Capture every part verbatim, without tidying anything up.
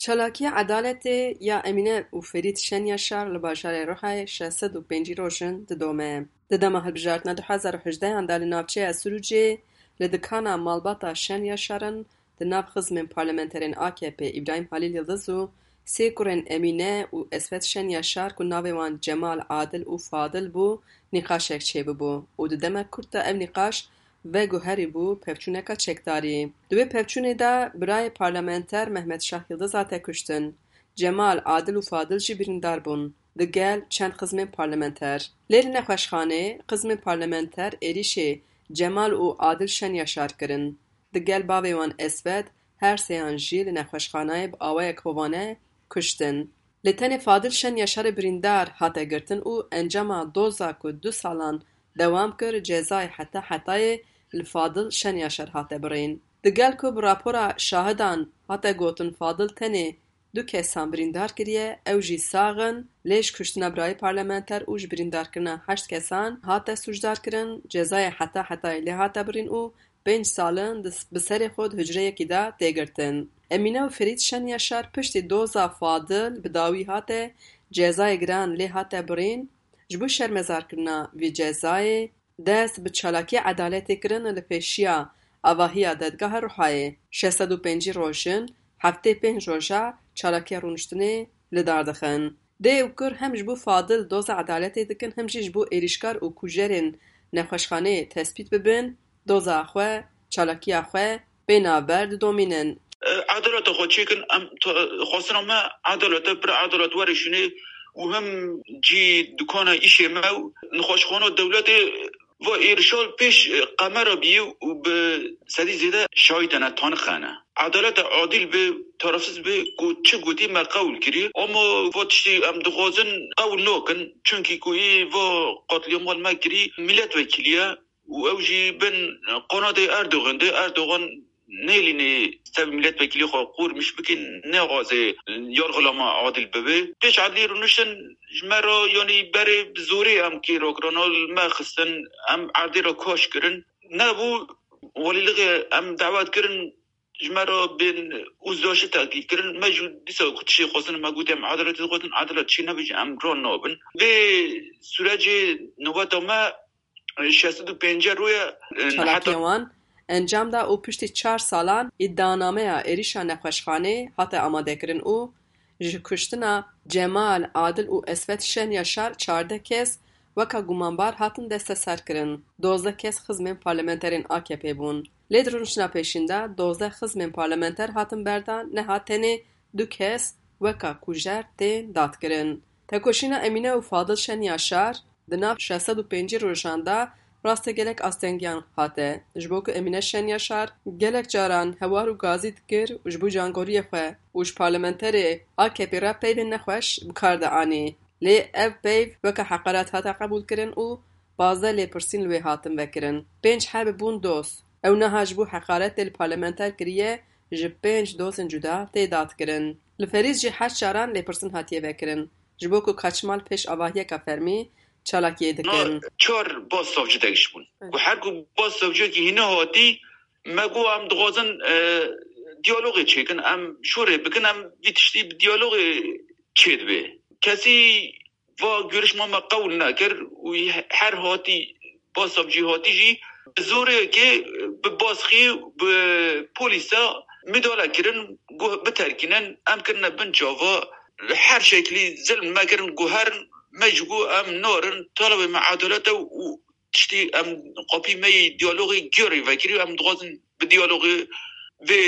Çalakiya edaletê ya Emîne û Ferîd Şenyaşar li bajarê Rihayê şeş sed û pêncî roj in didome. Di dema hilbijartina du hezar û hejdehan de li navçeya Sirûcê li dikana malbata Şenyaşar in, di nav xizmên parlamenterên A K P Îbrahîm Halîl Yildiz û sê kurên Emîne û Esvet Şenyaşar ku navê wan Cemal, Adil û Fadil bû, nîqaşek çêbibû û di demek kurt de ev nîqaş veguherîbû pevçûneka çekdarî. Di wê pevçûnê de birayê parlamenter Mehmet Şah Yildiz hate kuştin. Cemal, Adil û Fadil jî birîndar bûn, digel çend xizmên parlamenter. Lê li nexweşxanê xizmên parlamenter êrîşê Cemal û Adil Şenyaşar kirin. Digel bavê wan Esvet, her sêyan jî li nexweşxanayê bi awayek hovane kuştin. Lê tenê Fadil Şenyaşarê birîndar hate girtin û encama doza ku du salan dewam kir, cezayê heta hetayê li Fadil Şenyaşar hate birîn. Digel ku bi rapora şahidan hate gotin Fadil tenê du kesan birîndar kiriye, ew jî sax in, lê ji kuştina birayê parlamenter û ji birîndarkirina heşt kesan hate sûcdar kirin, cezayê heta hetayê lê hate birîn û pênc sal in di, bi serê xwe di hucreyekî de tê girtin. Emîne û Ferîd Şenyaşar piştî doza Fadil bi dawî hate cezayê giran lê hate birîn, ji bo şermezarkirina vî cezayê dest bi çalakiya edaletê kirin li pêşiya avahiya Dedgeha Rihayê. Şeş sed û pêncî roj in, heftê pênc roja çalakiya rûniştinê li dar dixin. Dê û kur hem ji bo Fadil doza edaletê dikin, hem jî ji bo êrîşkar û kujerên nexweşxaneyê tespît bibin, doza xwe, çalakiya xwe pê navber didomînin. Edaleta xwe çêkin, em t-, xwestina me edalet e, pir edalet were şûnê û hem cî dukana îşê me û nexweşxana dewletê va êrişal pêş qemera bî û bi sedî zêde şahîdene tanixene. Edaleta adil bi, tarafsiz bi ku çi gotî me qewil kirî. Ama va tiştî em dixwazin qewil nakin. Çunkî ku î va qatlîamal me kirî milletvekilî ye û ew jî bin qanadê Erdogan de. Erdogan nêlînê sev milletvekilî xwe qûrmiş bikin, nexwaze yargılama adil bibe. Pêş adlî rûniştin ji me re, yanî berê bi zorê em kê rakirana li me xistin, em erdê re kaş kirin. Nebû, welîlixê em dawet kirin, ji me re bên uzlaşî teklîf kirin. Me jî dîsa ku tiştê xwestin, me got em edaletê dixwazin, edalet çê nebî jî em ran nabin. Vê sûrecê nobeta me şeş sed û pêncî rûye, e, Çalakiyên heta wan encam da û piştî çar salan îdianameya êrîşa nexweşxanê hate amadekirin û ji kuştina Cemal, Adil û Esvet Şenyaşar çardeh kes weka gumanbar hatin desteserkirin. Dozdeh kes xizmên parlamenterên A K P bûn. Lê di rûniştina pêşîn de dozdeh xizmên parlamenter hatin berdan, niha tenê du kes weka kujer tên dadkirin. Tekoşîna Emîne û Fadil Şenyaşar di nav şeş sed û pêncî rojan de rastê gelek astengiyan hate. Ji bo ku Emîne Şenyaşar gelek caran hewar û gazî dikir û ji bo cangoriyê xwe û ji parlamenterê A K P re peyvên nexweş bi kar dianî. Lê ev peyv weke heqaret hate qebûlkirin û pazdeh lêpirsîn li wê hatin vekirin. Pênc heb bûn doz. Ew niha ji bo heqaretê li parlamenter kiriye, ji pênc dozên cuda tê dadkirin. Li Ferîd jî heşt caran lêpirsîn hatiye vekirin, ji bo ku Kaçmal pêş avahiyeka fermî çalakiyê dikin. Çar baz savcî degiş bûn. Evet. Ku her ku baz savciyekî hîne hatî, me got em dixwazin, e, diyalogê çêkin, em şûrê bikin, em vî tiştî bi diyalogê çêdibe. Kesî va görüşma me qewil nekir û her hatî, baz savcî hatî jî bi zorê yekê, bi baskî, bi polîsa midale kirin, got biterkînin, em kirine bin çava, her şeklî zilm me kirin, got herin, me jî got em narin, talebê me edalet e û tiştî em qapî me yê diyalogê gêrî vekirî, em dixwazin bi diyalogê vê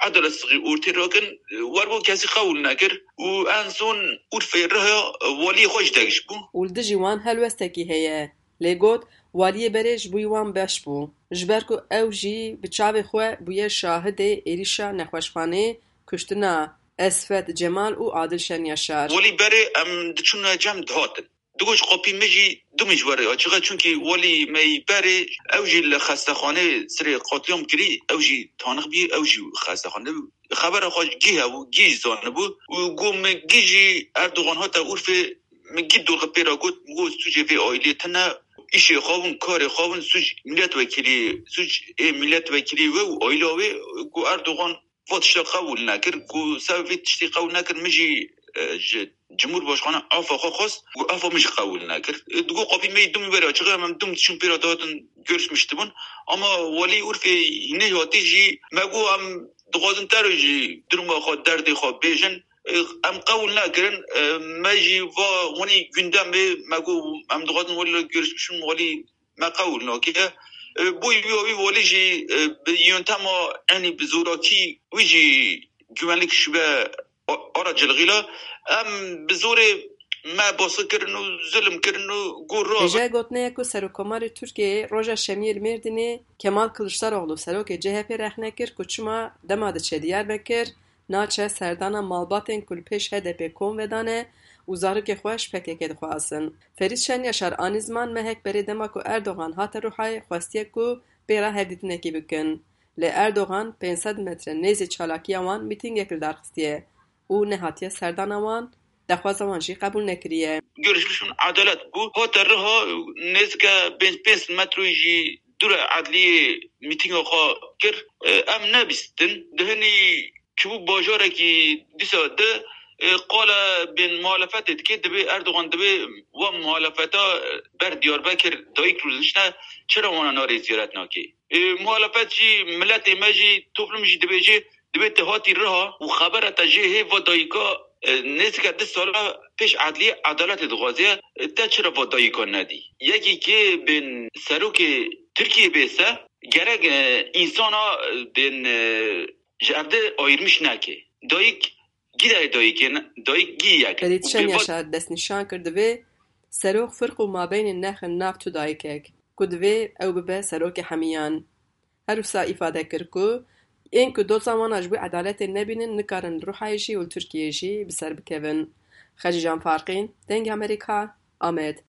edalet sixî ortê rakin, werbû kesî qewil nekir û en son Urfê Riha waliyê xwe ji degiş bû. Û li dijî wan helwestekî heye. Lê got, waliyê berê ji bo wan beş bû. Ji ber ku ew jî bi çavê xwe bûye şahidê êrîşa nexweşxanê, kuştina Esfet Cemal û Adil Şenyaşar. Walî berê em diçûne cem dihatin. Digot ji qopî min jî du min ji we re ya. Çiqa çunkî welî me yî berê, ew jî li xestexanê sirê qetlîam kirî, ew jî tanix bî, ew jî xestexanê. Xebera xwe gî hebû, gî zanibû û got min gî jî Erdogan hate Urfê, min gî dûr xwe pê re got, min got sûcê vê aîlê tune, îşê xwe bin, karê xwe bin, sûc milletvekilî, sûc ê milletvekilî we û aîla wê, got Erdogan va tişta qewil nekir. Ku sebeb vê tiştî qewil nekir, min jî e, ji Cumhurbaşkanı afa xwe xwest, ku afa min jî qewil nekir. E, digo qapî me dum were açiqe, em dum diçin pêra datin görüşmüştübûn. Ama welî Urfê hînê hatî jî me got, em dixwazin te re jî duruma xwe, derdê xwe bêjin. E, em qewil nekirin. E, me jî va hûnî gündemê me got, em dixwazin welî görüşmüştübûn, welî me qewil nake. E, boy wî wî welî jî, e, bi yöntema, yanî bi zorakî wî jî güvenlik şube a-, aracılığıyla em bi zorê me baskı kirin û zulm kirin û got ra. Hêja gotinê ye ku Serokkomarê Tirkiyeyê roja Şemiyê li Mêrdînê Kemal Kiliçdaroglu serokê C H P rexne kir ku çima dema diçe Diyarbekir, naçe serdana malbatên ku li pêş H D P kom vedane û zarokê xwe ji P K K dixwazin. Ferîd Şenyaşar anî ziman mehek berê dema ku Erdogan hate Ruhayê xwestiye ku pê re hevdîtinekê bikin. Lê Erdogan pênc sed metre nêzî çalakiya wan mîtîngek li dar xistiye û nehatiye serdana wan, daxwaza wan jî qebûl nekiriye. Görüşmüştübûn, edalet bû. Hate riha nêzîke pênc, pênc metroyî jî dûre edliyê mîtînga xwe kir. E, em nebîstin. Dihinî çûbû bajarekî dîsa di, e, qala bên muhalefetê dike, dibê Erdogan dibê wa muhalefeta ber Diyarbekir dayik rûdinişte, çira wana narê ziyaret nake? E, muhalefet jî, miletê me jî, toplum jî dibêje, dibê te hatî riha û xebera te jê hê va dayika, e, nêzîke du sala pêş edliyê edaletê dixwaze, e, te çira va dayika nedî? Yekî kê bên serokê Tirkiyê bê se, gerek, e, însana, e, bên, e, ji evde ayirmiş neke. Dayik gî dayê dayikê ne, dayik gî yek. Ferîd Şenyaşar destnîşan kir divê serok firq û mabeynê nexin nav tu dayikek, ku divê ew bibe serokê hemiyan. Her wisa îfade kir ku ên ku doza wan a ji bo edaletê nebînin, nikarin li Ruhayê jî û li Tirkiyeyê jî bi ser bikevin. Xecîcan Farqîn, Dengê Amerîka, Amed.